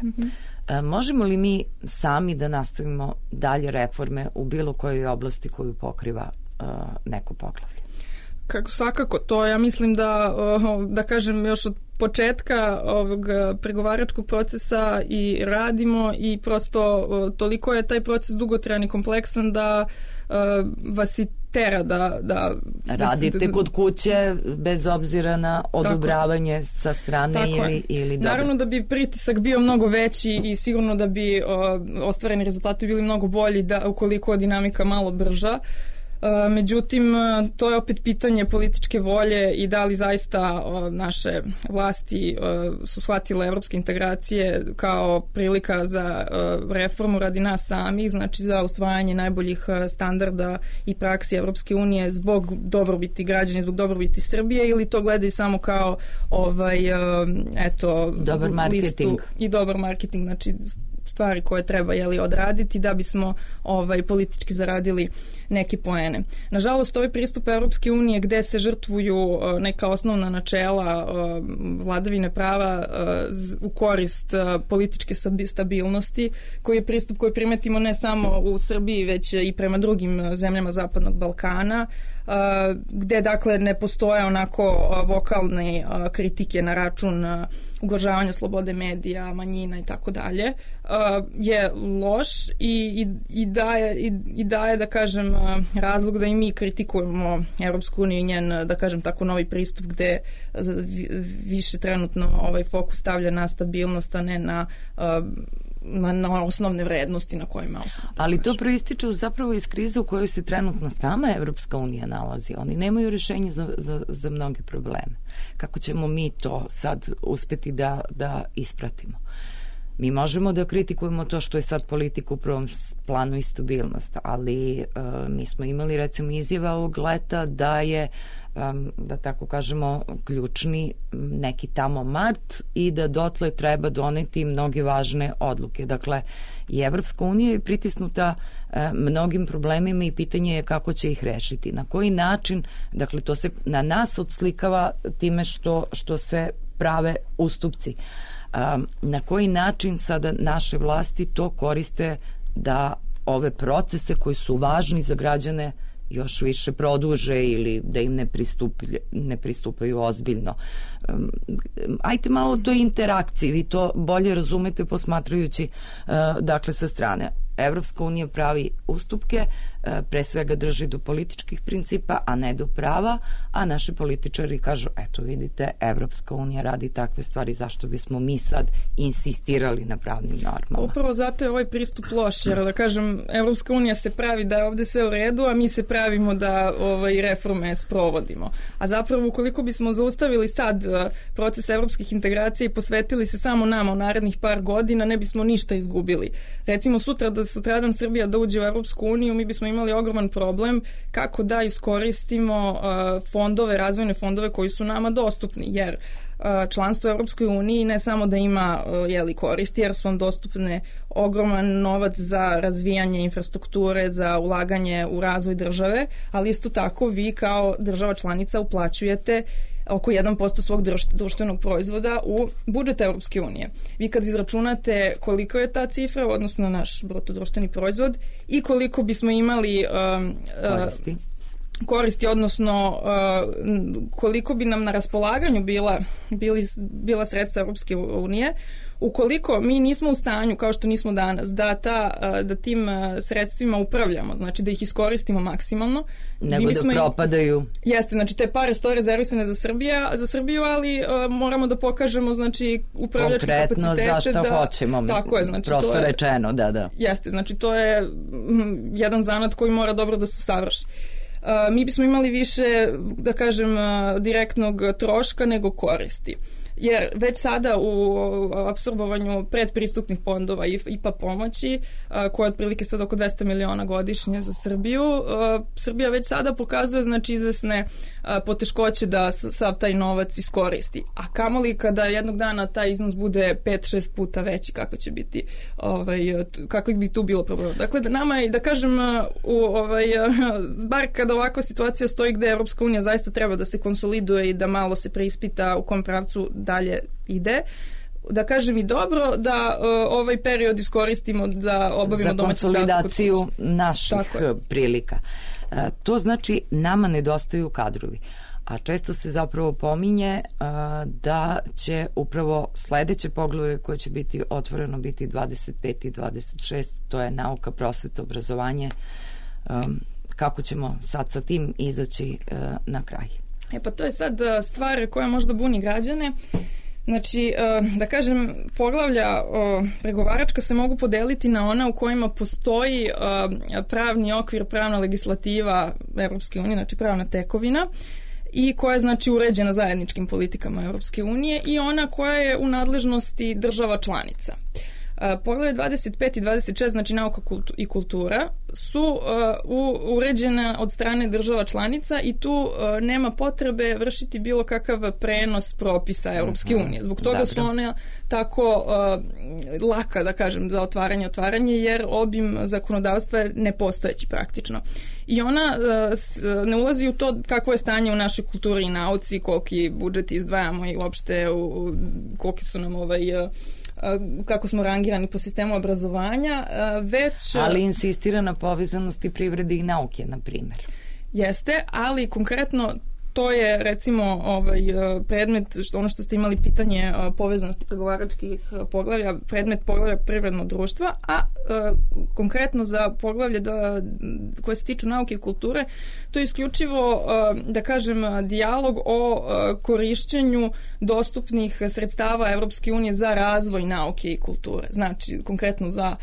možemo li mi sami da nastavimo dalje reforme u bilo kojoj oblasti koju pokriva neko poglavlje? Kako svakako, to ja mislim da kažem još od početka ovog pregovaračkog procesa i radimo i prosto toliko je taj proces dugotrajan i kompleksan da vas i tera da radite kod kuće bez obzira na odobravanje sa strane ili dobro. Naravno da bi pritisak bio mnogo veći i sigurno da bi ostvareni rezultati bili mnogo bolji ukoliko je dinamika malo brža. Međutim, to je opet pitanje političke volje i da li zaista naše vlasti su shvatile evropske integracije kao prilika za reformu radi nas samih, znači za usvajanje najboljih standarda i praksi Evropske unije zbog dobrobiti građana, zbog dobrobiti Srbije, ili to gledaju samo kao dobar marketing i dobar marketing, znači stvari koje treba odraditi da bismo politički zaradili neke poene. Nažalost, ovaj pristup Evropske unije gde se žrtvuju neka osnovna načela vladavine prava u korist političke stabilnosti, koji je pristup koji primetimo ne samo u Srbiji, već i prema drugim zemljama Zapadnog Balkana, gde dakle ne postoje onako vokalne kritike na račun ugrožavanja slobode medija, manjina i tako dalje, je loš i daje, da kažem, razlog da i mi kritikujemo Evropsku uniju i njen, da kažem tako, novi pristup gde više trenutno fokus stavlja na stabilnost, a ne na osnovne vrednosti na kojima osnovno. Ali to proističe zapravo iz krize u kojoj se trenutno sama Evropska unija nalazi. Oni nemaju rješenje za mnoge probleme. Kako ćemo mi to sad uspeti da ispratimo? Mi možemo da kritikujemo to što je sad politika u prvom planu i stabilnost, ali mi smo imali recimo izjava ovog leta da je, da tako kažemo, ključni neki tamo mart i da dotle treba doneti mnoge važne odluke. Dakle, i Evropska unija je pritisnuta mnogim problemima i pitanje je kako će ih rešiti. Na koji način, dakle, to se na nas odslikava time što se prave ustupci. Na koji način sada naše vlasti to koriste da ove procese koji su važni za građane još više produže ili da im ne pristupaju ozbiljno. Ajte malo o toj interakciji, vi to bolje razumete posmatrajući dakle sa strane. Evropska unija pravi ustupke, pre svega drži do političkih principa, a ne do prava, a naši političari kažu, eto vidite, Evropska unija radi takve stvari, zašto bismo mi sad insistirali na pravnim normama? Upravo zato je ovaj pristup loš, jer da kažem, Evropska unija se pravi da je ovde sve u redu, a mi se pravimo da reforme sprovodimo. A zapravo, ukoliko bismo zaustavili sad proces evropskih integracija i posvetili se samo nama u narednih par godina, ne bismo ništa izgubili. Recimo, sutradan Srbija da uđe u Evropsku uniju, mi bismo imali ogroman problem kako da iskoristimo razvojne fondove koji su nama dostupni, jer članstvo u Evropskoj uniji ne samo da ima koristi, jer su vam dostupne ogroman novac za razvijanje infrastrukture, za ulaganje u razvoj države, ali isto tako vi kao država članica uplaćujete oko 1% svog društvenog proizvoda u budžet Evropske unije. Vi kad izračunate koliko je ta cifra, odnosno naš bruto društveni proizvod, i koliko bismo imali koristi, odnosno koliko bi nam na raspolaganju bila sredstva Evropske unije, ukoliko mi nismo u stanju, kao što nismo danas, da tim sredstvima upravljamo, znači da ih iskoristimo maksimalno. Nego da propadaju. Jeste, znači te pare stoje rezervisane za Srbiju, ali moramo da pokažemo, znači, upravljačke kapacitete. Konkretno zašto hoćemo. Tako je, znači prosto to je rečeno, da. Jeste, znači to je jedan zanat koji mora dobro da se usavrši. Mi bismo imali više, da kažem, direktnog troška nego koristi. Jer već sada u apsorbovanju predpristupnih fondova i IPA pomoći, koja je otprilike sad oko 200 miliona godišnje za Srbiju, Srbija već sada pokazuje, znači, izvesne poteškoće da sav taj novac iskoristi. A kamoli kada jednog dana taj iznos bude 5-6 puta veći, kako će biti, kako bi tu bilo problem. Dakle, nama je, da kažem, bar kada ovakva situacija stoji gde Evropska unija zaista treba da se konsoliduje i da malo se preispita u kom pravcu dalje ide, da kažem, i dobro da ovaj period iskoristimo da obavimo domaći za konsolidaciju naših prilika. To znači nama nedostaju kadrovi. A često se zapravo pominje da će upravo sledeće poglavlje koje će biti otvoreno biti 25 i 26, to je nauka, prosveta, obrazovanje. Kako ćemo sad sa tim izaći na kraj? Pa to je sad stvar koja možda buni građane. Znači, da kažem, poglavlja pregovaračka se mogu podeliti na ona u kojima postoji pravni okvir, pravna legislativa Evropske unije, znači pravna tekovina, i koja je, znači, uređena zajedničkim politikama Evropske unije, i ona koja je u nadležnosti država članica. Poglavlje 25 i 26, znači nauka i kultura, su uređena od strane država članica i tu nema potrebe vršiti bilo kakav prenos propisa Evropske unije. Zbog toga su one tako laka, da kažem, za otvaranje, jer obim zakonodavstva je nepostojeći praktično. I ona ne ulazi u to kakvo je stanje u našoj kulturi i nauci, koliki budžet izdvajamo i uopšte koliki su nam kako smo rangirani po sistemu obrazovanja, već... Ali insistira na povezanosti privrede i nauke, na primjer. jeste, ali konkretno to je recimo predmet, ono što ste imali pitanje povezanosti pregovaračkih poglavlja, predmet poglavlja privredno društva, a konkretno za poglavlje koje se tiču nauke i kulture, to je isključivo, da kažem, dijalog o korišćenju dostupnih sredstava Evropske unije za razvoj nauke i kulture. Znači, konkretno za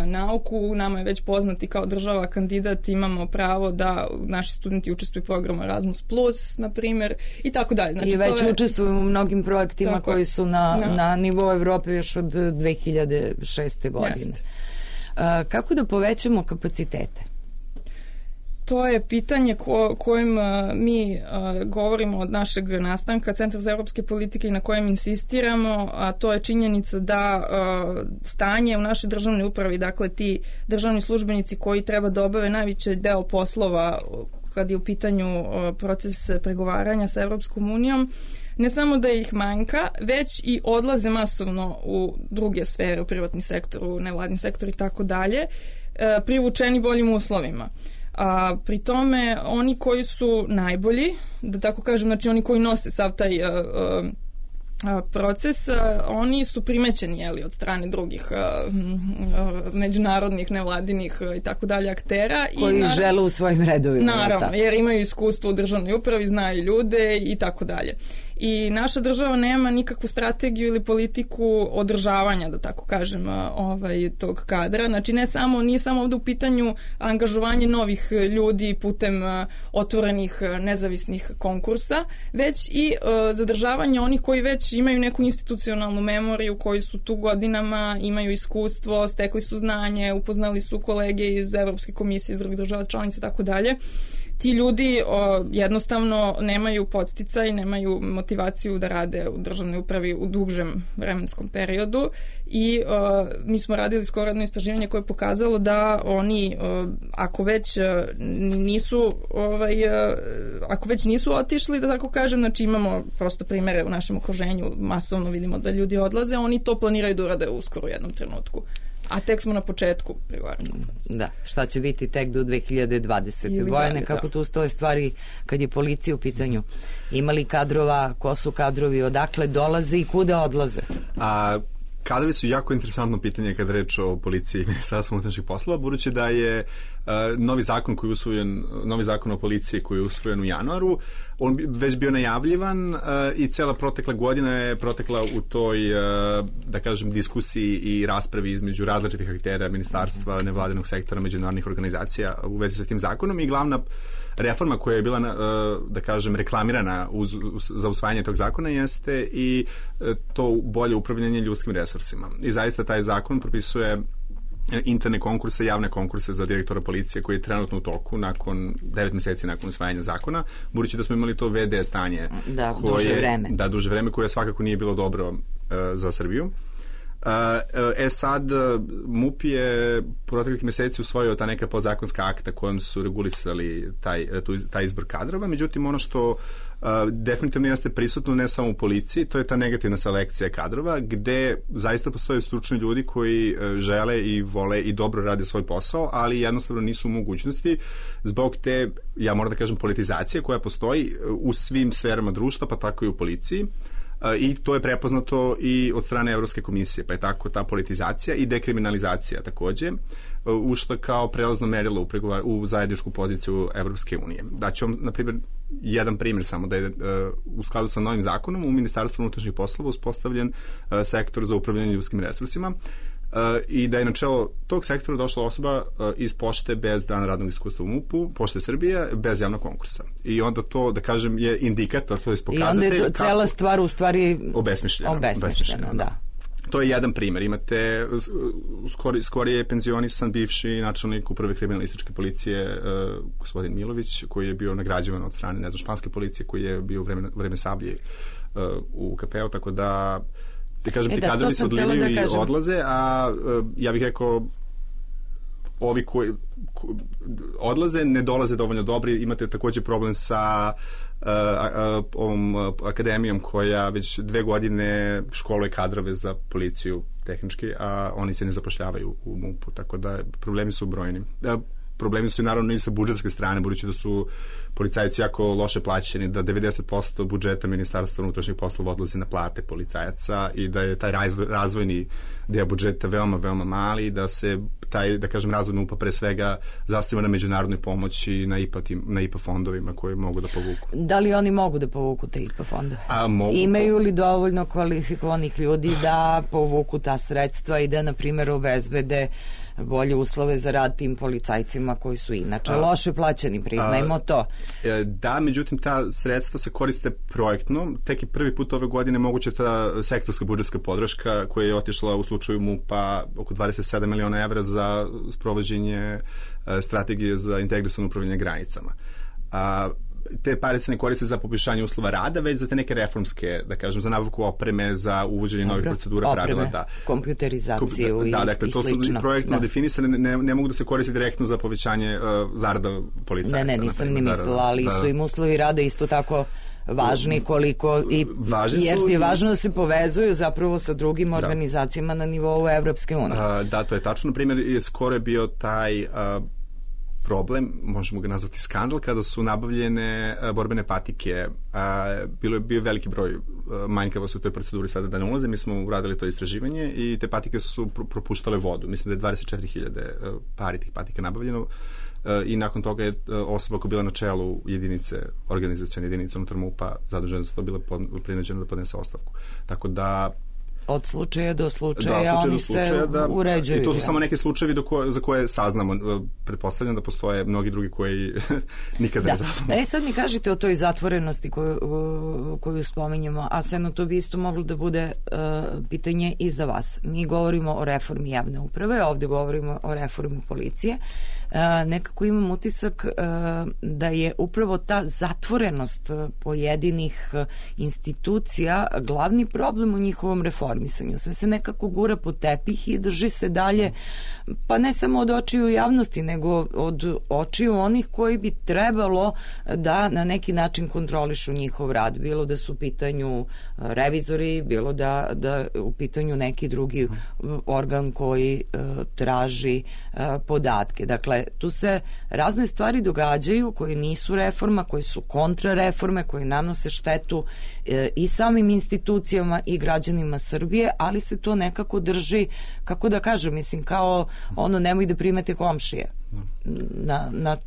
nauku, nama je već poznati kao država kandidat, imamo pravo da naši studenti učestvuju u programu Erasmus+, na primjer, i tako dalje. Znači, i već učestvuju u mnogim projektima koji su na nivou Evrope još od 2006. godine. Kako da povećamo kapacitete? To je pitanje kojim mi govorimo od našeg nastanka Centra za evropske politike i na kojem insistiramo, a to je činjenica da stanje u našoj državnoj upravi, dakle ti državni službenici koji treba da obave najveći deo poslova kad je u pitanju proces pregovaranja sa Evropskom unijom, ne samo da ih manjka, već i odlaze masovno u druge sfere, u privatni sektor, u nevladni sektor i tako dalje, privučeni boljim uslovima. A pri tome oni koji su najbolji, da tako kažem, znači oni koji nose sav taj proces, oni su primećeni od strane drugih međunarodnih, nevladinih i tako dalje aktera. Koji žele u svojim redovima. Naravno, jer imaju iskustvo u državnoj upravi, znaju ljude i tako dalje. I naša država nema nikakvu strategiju ili politiku održavanja, da tako kažem, tog kadra. Znači nije samo ovdje u pitanju angažovanje novih ljudi putem otvorenih nezavisnih konkursa, već i zadržavanje onih koji već imaju neku institucionalnu memoriju, koji su tu godinama, imaju iskustvo, stekli su znanje, upoznali su kolege iz Evropske komisije, iz drugih država članica i tako dalje. Ti ljudi jednostavno nemaju podsticaj, nemaju motivaciju da rade u državnoj upravi u dužem vremenskom periodu i mi smo radili skoro jedno istraživanje koje je pokazalo da oni ako već nisu otišli, da tako kažem, znači imamo prosto primere u našem okruženju, masovno vidimo da ljudi odlaze, oni to planiraju da urade uskoro u jednom trenutku. A tek smo na početku pregovaračkog procesa. Da, šta će biti tek do 2020. Vojane, kako tu stoje stvari kad je policija u pitanju? Ima li kadrova, ko su kadrovi, odakle dolaze i kuda odlaze? Kadrovi su jako interesantno pitanje kada reč o policiji i Ministarstvu unutrašnjih poslova, budući da je novi zakon o policiji koji je usvojen u januaru, on već bio najavljivan i cela protekla godina je protekla u toj, da kažem, diskusiji i raspravi između različitih aktera, ministarstva, nevladinog sektora, međunarodnih organizacija u vezi sa tim zakonom i glavna reforma koja je bila, da kažem, reklamirana za usvajanje tog zakona jeste i to bolje upravljanje ljudskim resursima. I zaista taj zakon propisuje interne konkurse, javne konkurse za direktora policije koji je trenutno u toku nakon 9 meseci nakon usvajanja zakona, budući da smo imali to VD stanje duže vreme koje svakako nije bilo dobro za Srbiju. Sad MUP je proteklih meseci usvojio ta neka podzakonska akta kojom su regulisali taj izbor kadrova, međutim ono što definitivno jeste prisutno ne samo u policiji, to je ta negativna selekcija kadrova gde zaista postoje stručni ljudi koji žele i vole i dobro rade svoj posao, ali jednostavno nisu u mogućnosti zbog te, ja moram da kažem, politizacije koja postoji u svim sferama društva, pa tako i u policiji. I to je prepoznato i od strane Evropske komisije, pa je tako ta politizacija i dekriminalizacija takođe ušla kao prelazno merilo u zajedničku poziciju Evropske unije. Daću vam, na primjer, jedan primjer samo da je u skladu sa novim zakonom u Ministarstvu unutrašnjih poslova uspostavljen sektor za upravljanje ljudskim resursima i da je na čelo tog sektora došla osoba iz pošte bez dana radnog iskustva u MUP-u, Pošte Srbije, bez javnog konkursa. I onda to, da kažem, je indikator, to je pokazatelj. I onda je cela stvar u stvari obesmišljena. Da. To je jedan primjer. Imate skorije penzionisan bivši načelnik uprave kriminalističke policije gospodin Milović, koji je bio nagrađivan od strane, španske policije, koji je bio u vreme Sablje u KP-u, tako da kažem, ti kadrovi se odlivaju i odlaze, a ja bih rekao ovi koji odlaze ne dolaze dovoljno dobri. Imate takođe problem sa ovom akademijom koja već 2 godine školuje kadrove za policiju tehnički, a oni se ne zapošljavaju u MUP-u, tako da problemi su brojni. problemi su i naravno i sa budžetske strane, budući da su policajci jako loše plaćeni, da 90% budžeta Ministarstva unutrašnjih poslova odlazi na plate policajaca i da je taj razvojni deo budžeta veoma, veoma mali i da se taj, da kažem, razvojna UPA pre svega zasniva na međunarodnoj pomoći, na IPA fondovima koji mogu da povuku. Da li oni mogu da povuku te IPA fondove? Mogu. Imaju li dovoljno kvalifikovanih ljudi da povuku ta sredstva i da, na primjer, obezbede bolje uslove za rad tim policajcima koji su inače loše plaćeni, priznajmo to. Da, međutim, ta sredstva se koriste projektno. Tek i prvi put ove godine moguće ta sektorska budžetska podrška koja je otišla u slučaju MUP-a oko 27 miliona evra za sprovođenje strategije za integrisano upravljanje granicama. Te pare se ne koriste za poboljšanje uslova rada, već za te neke reformske, da kažem, za nabavku opreme, za uvođenje novih procedura, pravila. Da. Kompjuterizaciju i dakle, to su projektno definisane, ne mogu da se koriste direktno za povećanje zarada policajaca. Ne, nisam ni mislila, ali su im uslovi rada isto tako važni koliko je važno da se povezuju zapravo sa drugim organizacijama na nivou Evropske unije. Da, to je tačno. Na primjer, skoro je bio taj problem, možemo ga nazvati skandal, kada su nabavljene borbene patike. Bio veliki broj manjkavosti u toj proceduri, sada da ne ulaze, mi smo uradili to istraživanje i te patike su propuštale vodu. Mislim da je 24.000 pari tih patika nabavljeno i nakon toga je osoba koja bila na čelu organizacione jedinice unutar MUP-a zadužena za to bila prinuđena da podnese ostavku. Tako da od slučaja do slučaja oni se uređuju. I to su samo neki slučajevi za koje saznamo. Pretpostavljam da postoje mnogi drugi koji nikada ne saznamo. Sad mi kažete o toj zatvorenosti koju spominjemo, a Seno, to bi isto moglo da bude pitanje i za vas. Mi govorimo o reformi javne uprave, ovdje govorimo o reformi policije. Nekako imam utisak da je upravo ta zatvorenost pojedinih institucija glavni problem u njihovom reformisanju. Sve se nekako gura pod tepih i drži se dalje, pa ne samo od očiju javnosti, nego od očiju onih koji bi trebalo da na neki način kontrolišu njihov rad. Bilo da su u pitanju revizori, bilo da u pitanju neki drugi organ koji traži podatke. Dakle, tu se razne stvari događaju koje nisu reforma, koje su kontrareforme, koje nanose štetu i samim institucijama i građanima Srbije, ali se to nekako drži, kako da kažem, mislim, kao ono, nemoj da primete komšije na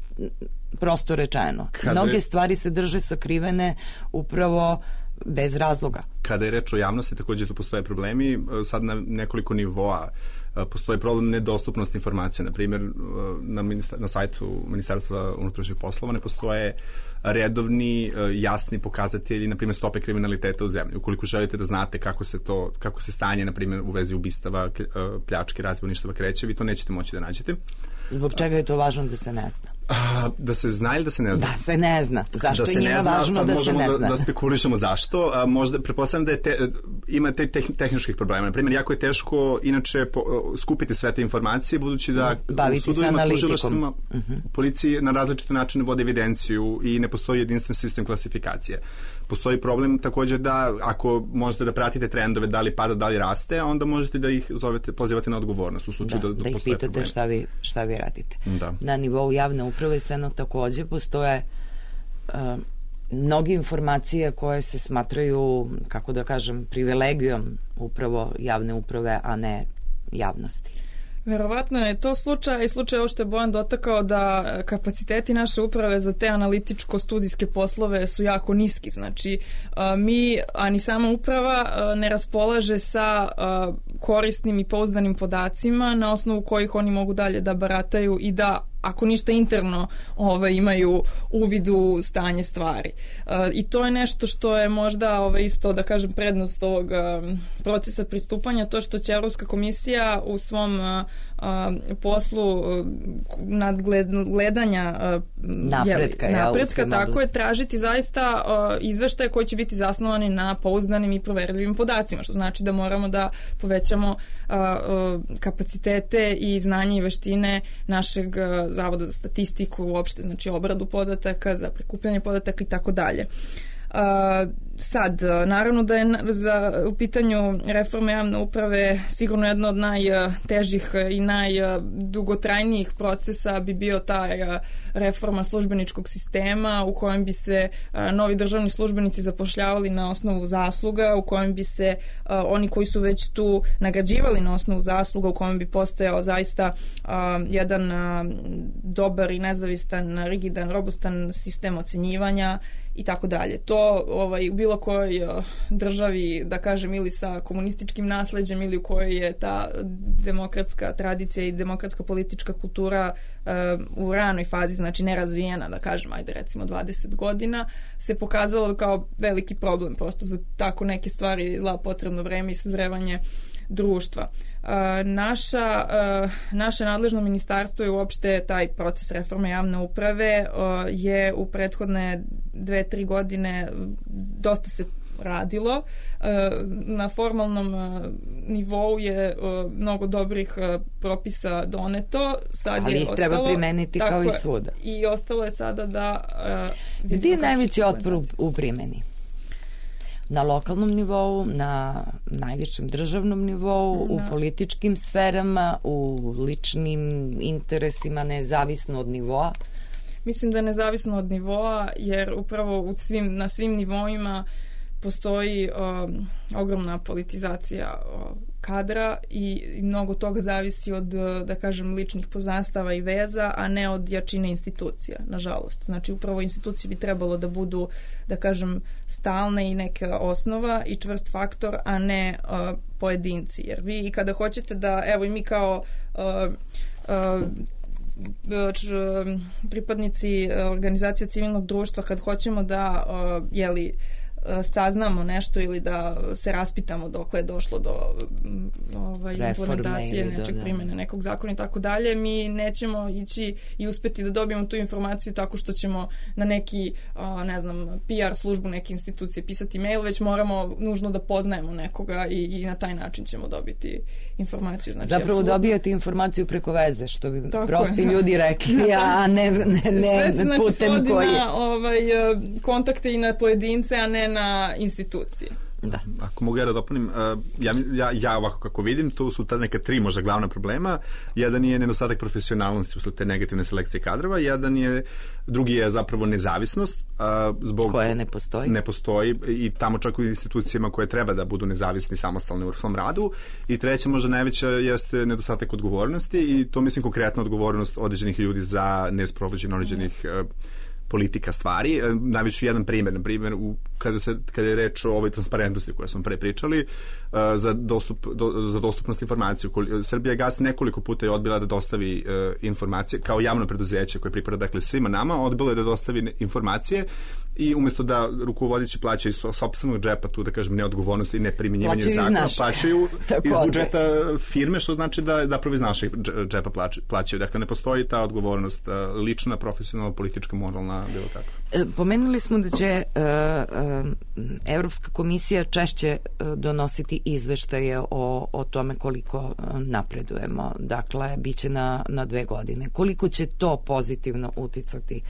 prosto rečeno. Mnoge stvari se drže sakrivene upravo bez razloga. Kada je reč o javnosti, također tu postoje problemi, sad na nekoliko nivoa. Postoji problem nedostupnosti informacija. Na primjer, na sajtu Ministarstva unutrašnjih poslova ne postoje redovni, jasni pokazatelji, na primjer, stope kriminaliteta u zemlji. Ukoliko želite da znate kako se stanje, na primjer, u vezi ubistava, pljačke, razbojništava kreće, vi to nećete moći da nađete. Zbog čega je to važno da se ne zna? Da se zna ili da se ne zna? Da se ne zna. Zašto je njima važno da se ne zna? Da spekulišemo zašto. Možda, pretpostavljam da ima te tehničkih problema. Na primjer, jako je teško inače skupiti sve te informacije, budući da u sudovima, tužilaštvima, policiji na različite načine vode evidenciju i ne postoji jedinstven sistem klasifikacije. Postoji problem također da ako možete da pratite trendove, da li pada, da li raste, onda možete da ih pozivate na odgovornost u slučaju da ih pitate problemi. šta vi radite. Da. Na nivou javne uprave također postoje mnoge informacije koje se smatraju, kako da kažem, privilegijom upravo javne uprave, a ne javnosti. Verovatno je to slučaj ovo što je Bojan dotakao, da kapaciteti naše uprave za te analitičko-studijske poslove su jako niski. Znači, a ni sama uprava ne raspolaže sa korisnim i pouzdanim podacima na osnovu kojih oni mogu dalje da barataju i da, ako ništa interno, imaju uvid u stanje stvari. I to je nešto što je možda isto, da kažem, prednost ovog procesa pristupanja, to što će Evropska komisija u svom poslu nadgledanja napretka, tako je, tražiti zaista izveštaje koji će biti zasnovani na pouzdanim i proverljivim podacima, što znači da moramo da povećamo kapacitete i znanje i veštine našeg Zavoda za statistiku, uopšte, znači obradu podataka, za prikupljanje podataka i tako dalje. Sad, naravno da je u pitanju reforme javne uprave sigurno jedna od najtežih i najdugotrajnijih procesa bi bio ta reforma službeničkog sistema u kojem bi se novi državni službenici zapošljavali na osnovu zasluga, u kojem bi se oni koji su već tu nagrađivali na osnovu zasluga, u kojem bi postojao zaista jedan dobar i nezavistan, rigidan, robustan sistem ocenjivanja i tako dalje. To u bilo kojoj državi, da kažem, ili sa komunističkim nasleđem ili u kojoj je ta demokratska tradicija i demokratska politička kultura u ranoj fazi, znači nerazvijena, da kažem, ajde recimo 20 godina, se pokazalo kao veliki problem. Prosto za tako neke stvari potrebno vreme i sazrevanje društva. Naše nadležno ministarstvo i uopšte taj proces reforme javne uprave je u prethodne 2-3 godine dosta se radilo. Na formalnom nivou je mnogo dobrih propisa doneto. Sad ali ih treba primeniti kao i svuda. I ostalo je sada da... Gdje je najveći otpor u primjeni? Na lokalnom nivou, na najvišem državnom nivou, u političkim sferama, u ličnim interesima, nezavisno od nivoa? Mislim da je nezavisno od nivoa, jer upravo na svim nivoima postoji ogromna politizacija kadra i mnogo toga zavisi od, da kažem, ličnih poznanstava i veza, a ne od jačine institucija, nažalost. Znači, upravo institucije bi trebalo da budu, da kažem, stalne i neka osnova i čvrst faktor, a ne pojedinci. Jer vi kada hoćete da, evo i mi kao pripadnici organizacija civilnog društva, kad hoćemo da saznamo nešto ili da se raspitamo dokle je došlo do implementacije nečeg primjene nekog zakona i tako dalje, mi nećemo ići i uspeti da dobijemo tu informaciju tako što ćemo na neki, ne znam, PR službu neke institucije pisati mail, već moramo nužno da poznajemo nekoga i na taj način ćemo dobiti informaciju. Znači, zapravo apsolutno dobijate informaciju preko veze, što bi prosti ljudi rekli, a ne putem koji je. Na kontakte i na pojedince, a ne na institucije. Da. Ako mogu ja da dopunim, ja ovako kako vidim, tu su ta neka 3 možda glavna problema. Jedan je nedostatak profesionalnosti usled te negativne selekcije kadrova, drugi je zapravo nezavisnost. Koja ne postoji i tamo čak u institucijama koje treba da budu nezavisni, samostalni u svom radu. I treća, možda najveća, jeste nedostatak odgovornosti i to mislim konkretno odgovornost određenih ljudi za nesprovođenje određenih politika stvari. Najveći jedan primjer, na primjer, kada je reč o ovoj transparentnosti koju smo pre pričali, za dostupnost informacije. Srbija gas nekoliko puta je odbila da dostavi informacije, kao javno preduzeće koje pripada, dakle, svima nama, odbilo je da dostavi informacije i umjesto da rukovodeći plaćaju iz sopstvenog džepa tu, da kažem, neodgovornost i neprimjenjivanje zakona, plaćaju iz budžeta firme, što znači da zapravo iz našeg džepa plaćaju. Dakle, ne postoji ta odgovornost lična, profesionalna, politička, moralna, bilo kako. Pomenuli smo da će Evropska komisija češće donositi izveštaje o tome koliko napredujemo. Dakle, bit će na 2 godine. Koliko će to pozitivno uticati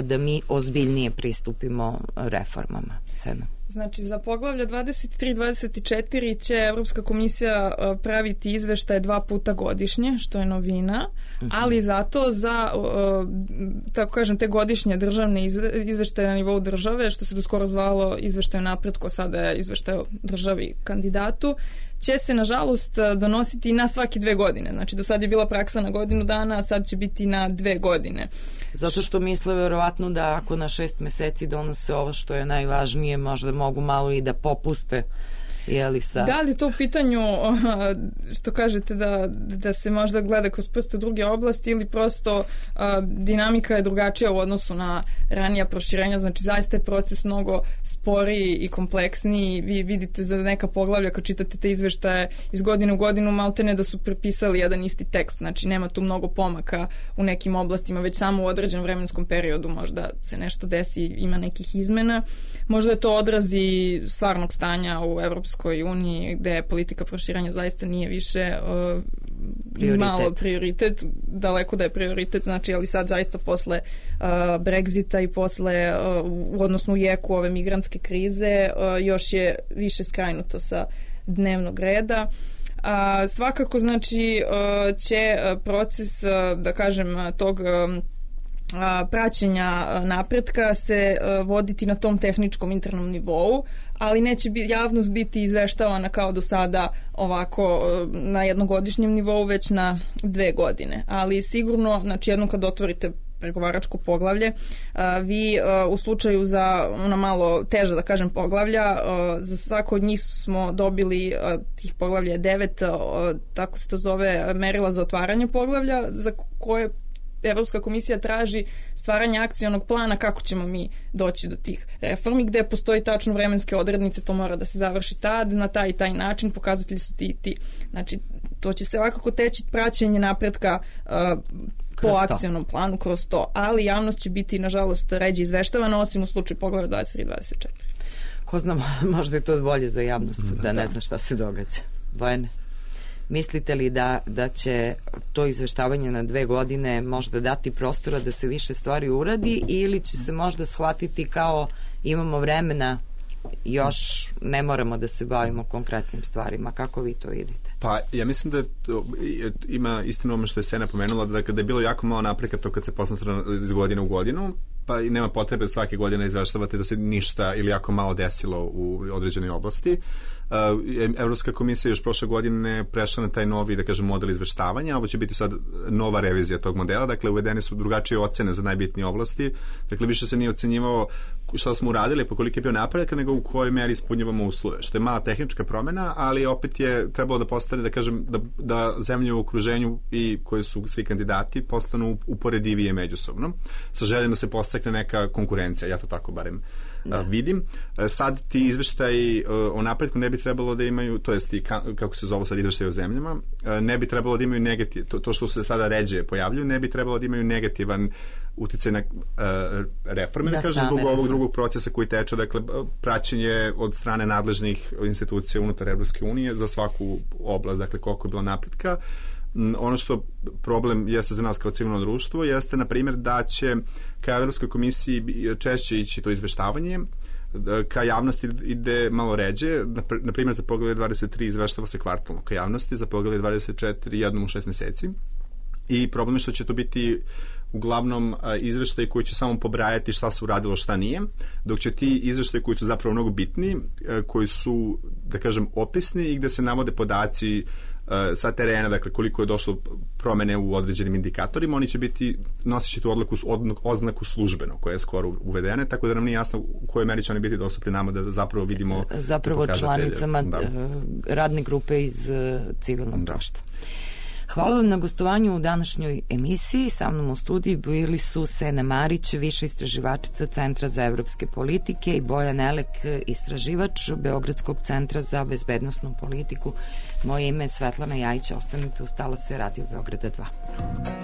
da mi ozbiljnije pristupimo reformama? Sena. Znači, za poglavlja 23-24 će Evropska komisija praviti izveštaje 2 puta godišnje, što je novina, ali zato za, tako kažem, te godišnje državne izveštaje na nivou države, što se doskoro zvalo izveštaj o napretku, sada je izveštaj o državi kandidatu, će se, nažalost, donositi na svaki 2 godine. Znači, do sad je bila praksa na godinu dana, a sad će biti na 2 godine. Zato što misle verovatno da ako na 6 meseci donose ovo što je najvažnije, možda mogu malo i da popuste. Da li to u pitanju, što kažete, da se možda gleda kroz prste druge oblasti ili prosto dinamika je drugačija u odnosu na ranija proširenja, znači zaista je proces mnogo sporiji i kompleksniji. Vi vidite za neka poglavlja kad čitate te izveštaje iz godine u godinu maltene da su prepisali jedan isti tekst, znači nema tu mnogo pomaka u nekim oblastima, već samo u određenom vremenskom periodu možda se nešto desi, ima nekih izmena. Možda je to odrazi stvarnog stanja u Evropskoj uniji, gde politika proširanja zaista nije više malo prioritet, daleko da je prioritet, znači, ali sad zaista posle Brexita i posle, odnosno u jeku ove migrantske krize, još je više skrajnuto sa dnevnog reda. Svakako, znači, će proces, da kažem, tog praćenja napretka se voditi na tom tehničkom internom nivou, ali neće javnost biti izveštavana kao do sada ovako na jednogodišnjem nivou, već na 2 godine. Ali sigurno, znači, jednom kad otvorite pregovaračko poglavlje, vi u slučaju za ona malo teža, da kažem, poglavlja, za svako od njih smo dobili, tih poglavlja je 9, tako se to zove, merila za otvaranje poglavlja, za koje Evropska komisija traži stvaranje akcionog plana kako ćemo mi doći do tih reformi, gde postoji tačno vremenske odrednice, to mora da se završi tad, na taj i taj način, pokazatelji su ti i ti. Znači, to će se ovako teći praćenje napretka po akcionom planu kroz to, ali javnost će biti, nažalost, ređe izveštavana, osim u slučaju poglavlja 23-24. Ko zna, možda je to bolje za javnost, da ne zna šta se događa. Bojane? Mislite li da će to izveštavanje na 2 godine možda dati prostora da se više stvari uradi, ili će se možda shvatiti kao imamo vremena, još ne moramo da se bavimo konkretnim stvarima? Kako vi to vidite? Pa ja mislim da ima istinu ono što je Sena pomenula, da kada je bilo jako malo napretka to kad se posmatra iz godine u godinu, pa i nema potrebe svake godine izveštavati da se ništa ili jako malo desilo u određenoj oblasti. Evropska komisija još prošle godine prešla na taj novi, da kažem, model izveštavanja. Ovo će biti sad nova revizija tog modela, dakle uvedene su drugačije ocene za najbitnije oblasti, dakle više se nije ocenjivao šta smo uradili, po koliko je bio napredak, nego u kojoj meri ispunjavamo uslove, što je mala tehnička promena, ali opet je trebalo da postane, da kažem, da zemlje u okruženju i koji su svi kandidati postanu uporedivije međusobno, sa željom da se postakne neka konkurencija, ja to tako barem vidim. Sad ti izveštaji o napretku ne bi trebalo da imaju, to jest i kako se zove sad izveštaji o zemljama, ne bi trebalo da imaju negativ, to što se sada ređe pojavljuju, ne bi trebalo da imaju negativan uticaj na reforme, da kažem, zbog ovog drugog procesa koji teče, dakle, praćenje od strane nadležnih institucija unutar Evropske unije za svaku oblast, dakle, koliko je bilo napretka. Ono što problem jeste za nas kao civilno društvo jeste, na primjer, da će ka Evropskoj komisiji češće ići to izveštavanje, ka javnosti ide malo ređe, na primjer za poglavlje 23 izveštava se kvartalno ka javnosti, za poglavlje 24 jednom u 6 meseci, i problem je što će to biti uglavnom izveštaji koji će samo pobrajati šta se uradilo, šta nije, dok će ti izveštaji koji su zapravo mnogo bitni, koji su, da kažem, opisni i gde se navode podaci sa terena, dakle koliko je došlo promene u određenim indikatorima, oni će biti nosići tu oznaku službeno, koja je skoro uvedene, tako da nam nije jasno u kojoj meri će oni biti dostupni nama da zapravo vidimo zapravo članicama radne grupe iz civilnog društva. Hvala vam na gostovanju u današnjoj emisiji. Sa mnom u studiju bili su Sena Marić, viša istraživačica Centra za evropske politike, i Bojan Elek, istraživač Beogradskog centra za bezbednosnu politiku. Moje ime je Svetlana Jajić. Ostanite uz talase Radio Beograda 2.